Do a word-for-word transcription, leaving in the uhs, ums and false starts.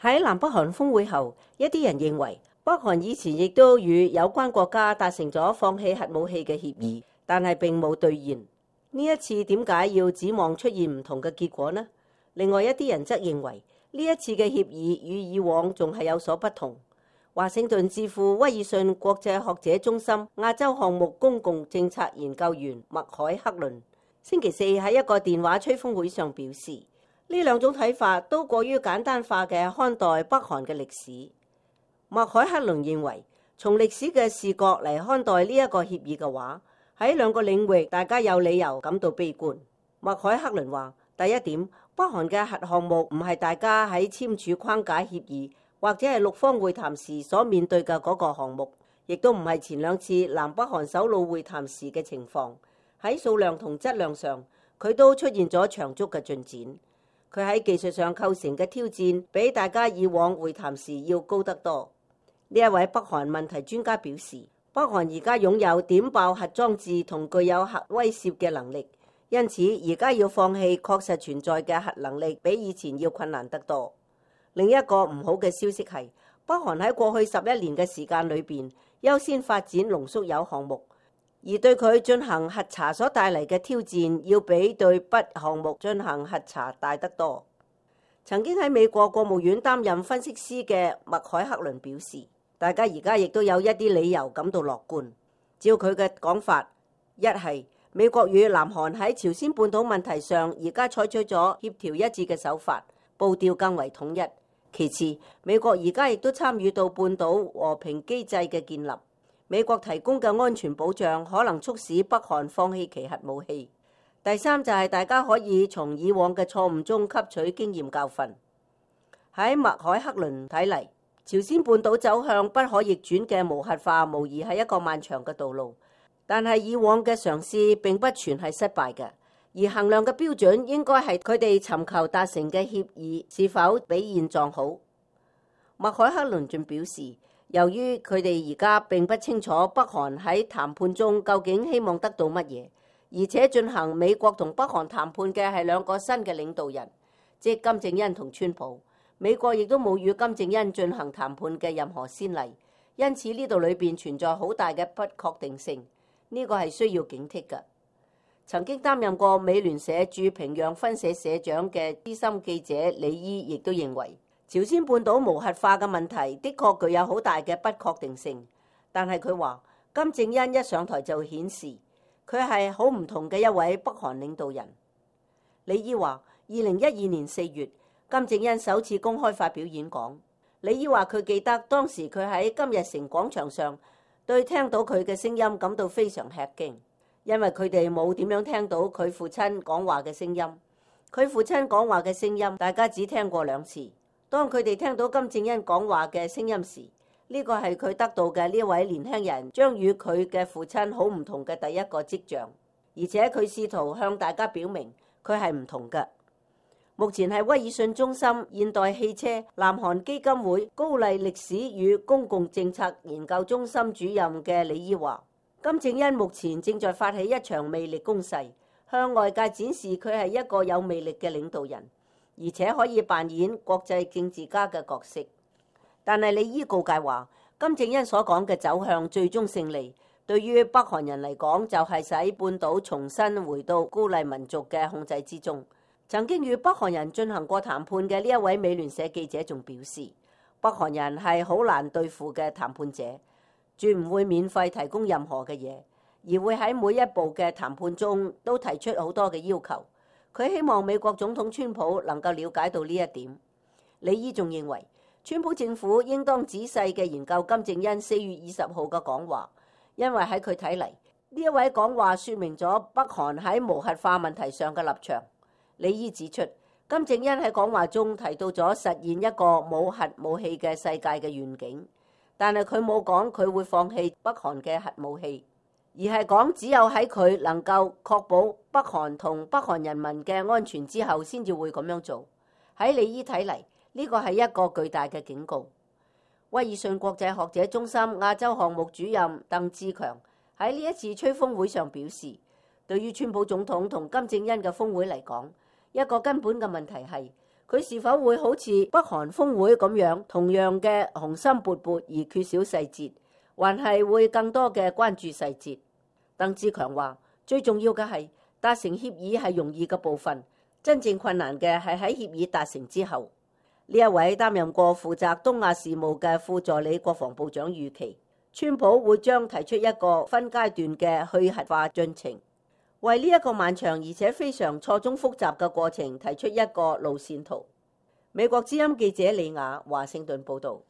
喺南北韓峰會後，一啲人認為北韓以前亦都與有關國家達成咗放棄核武器嘅協議，但係並冇兌現。呢一次點解要指望出現唔同嘅結果呢？另外一啲人則認為呢一次嘅協議與以往仲係有所不同。華盛頓智庫威爾遜國際學者中心亞洲項目公共政策研究員麥凱克倫星期四喺一個電話吹風會上表示，呢兩種睇法都過於簡單化嘅看待北韓嘅歷史。麥凱克倫認為，從歷史嘅視角嚟看待呢一個協議嘅話，喺兩個領域大家有理由感到悲觀。麥凱克倫話，第一點，北韓嘅核項目唔係大家喺簽署框架協議或者係六方會談時所面對嘅嗰個項目，亦都唔係前兩次南北韓首腦會談時嘅情況。喺數量同質量上，佢都出現咗長足嘅進展。佢喺技術上構成嘅挑戰，比大家以往會談時要高得多。呢一位北韓問題專家表示，北韓而家擁有點爆核裝置同具有核威懾嘅能力，因此而家要放棄確實存在嘅核能力，比以前要困難得多。另一個唔好嘅消息係，北韓喺過去十一年嘅時間裏邊，優先發展濃縮鈾項目，而對佢進行核查所帶嚟嘅挑戰，要比對鈈項目進行核查大得多。曾經喺美國國務院擔任分析師嘅麥凱克倫表示，大家而家亦都有一啲理由感到樂觀。照佢嘅講法，一係美國與南韓喺朝鮮半島問題上而家採取咗協調一致嘅手法，步調更為統一。其次，美國而家亦都參與到半島和平機制嘅建立，美國提供嘅安全保障可能促使北韓放棄其核武器。第三就係大家可以從以往嘅錯誤中吸取經驗教訓。喺麥凱克倫睇嚟，朝鮮半島走向不可逆轉嘅無核化，無疑係一個漫長嘅道路。但係以往嘅嘗試並不全係失敗嘅，而衡量嘅標準應該係佢哋尋求達成嘅協議是否比現狀好。麥凱克倫仲表示，由於佢哋而家並不清楚北韓喺談判中究竟希望得到乜嘢，而且進行美國同北韓談判嘅係兩個新嘅領導人，即金正恩同川普。美國亦都冇與金正恩進行談判嘅任何先例，因此呢度裏邊存在好大嘅不確定性，呢個係需要警惕嘅。曾經擔任過美聯社駐平壤分社社長嘅資深記者李伊亦都認為，朝鮮半島無核化嘅問題的確具有好大嘅不確定性，但係佢話金正恩一上台就顯示佢係好唔同嘅一位北韓領導人。李伊話，二零一二年四月，金正恩首次公開發表演講。李伊話佢記得當時佢喺金日成廣場上對聽到佢嘅聲音感到非常吃驚，因為佢哋冇點樣聽到佢父親講話嘅聲音。佢父親講話嘅聲音大家只聽過兩次。當佢哋聽到金正恩講話嘅聲音時，呢個係佢得到嘅呢位年輕人將與佢嘅父親好唔同嘅第一個跡象，而且佢試圖向大家表明佢係唔同嘅。目前係威爾遜中心現代汽車南韓基金會高麗歷史與公共政策研究中心主任嘅李伊話，金正恩目前正在發起一場魅力攻勢，向外界展示佢係一個有魅力嘅領導人，而且可以扮演國際政治家嘅角色。但係李伊告誡話，金正恩所講嘅走向最終勝利，對於北韓人嚟講就係使半島重新回到高麗民族嘅控制之中。曾經與北韓人進行過談判嘅呢一位美聯社記者仲表示，北韓人係好難對付嘅談判者，絕唔會免費提供任何嘅嘢，而會喺每一步嘅談判中都提出好多嘅要求。佢希望美國總統川普能夠了解到呢一點。李伊仲認為，川普政府應當仔細嘅研究金正恩四月二十號嘅講話，因為喺佢睇嚟，呢一位講話說明咗北韓喺無核化問題上嘅立場。李伊指出，金正恩喺講話中提到咗實現一個冇核武器嘅世界嘅願景，但係佢冇講佢會放棄北韓嘅核武器，而係講只有喺佢能夠確保北韓同北韓人民嘅安全之後，先至會咁樣做。喺李伊睇嚟，呢個係一個巨大嘅警告。威爾遜國際學者中心亞洲項目主任鄧志強喺呢一次吹風會上表示，對於川普總統同金正恩嘅峰會嚟講，一個根本嘅問題係佢是否會好似北韓峰會咁樣，同樣嘅雄心勃勃而缺少細節，還係會更多嘅關注細節？鄧志強話：最重要嘅係達成協議係容易嘅部分，真正困難嘅係喺協議達成之後。呢一位擔任過負責東亞事務嘅副助理國防部長預期，川普會將提出一個分階段嘅去核化進程，為呢一個漫長而且非常錯綜複雜嘅過程提出一個路線圖。美國之音記者李雅華盛頓報導。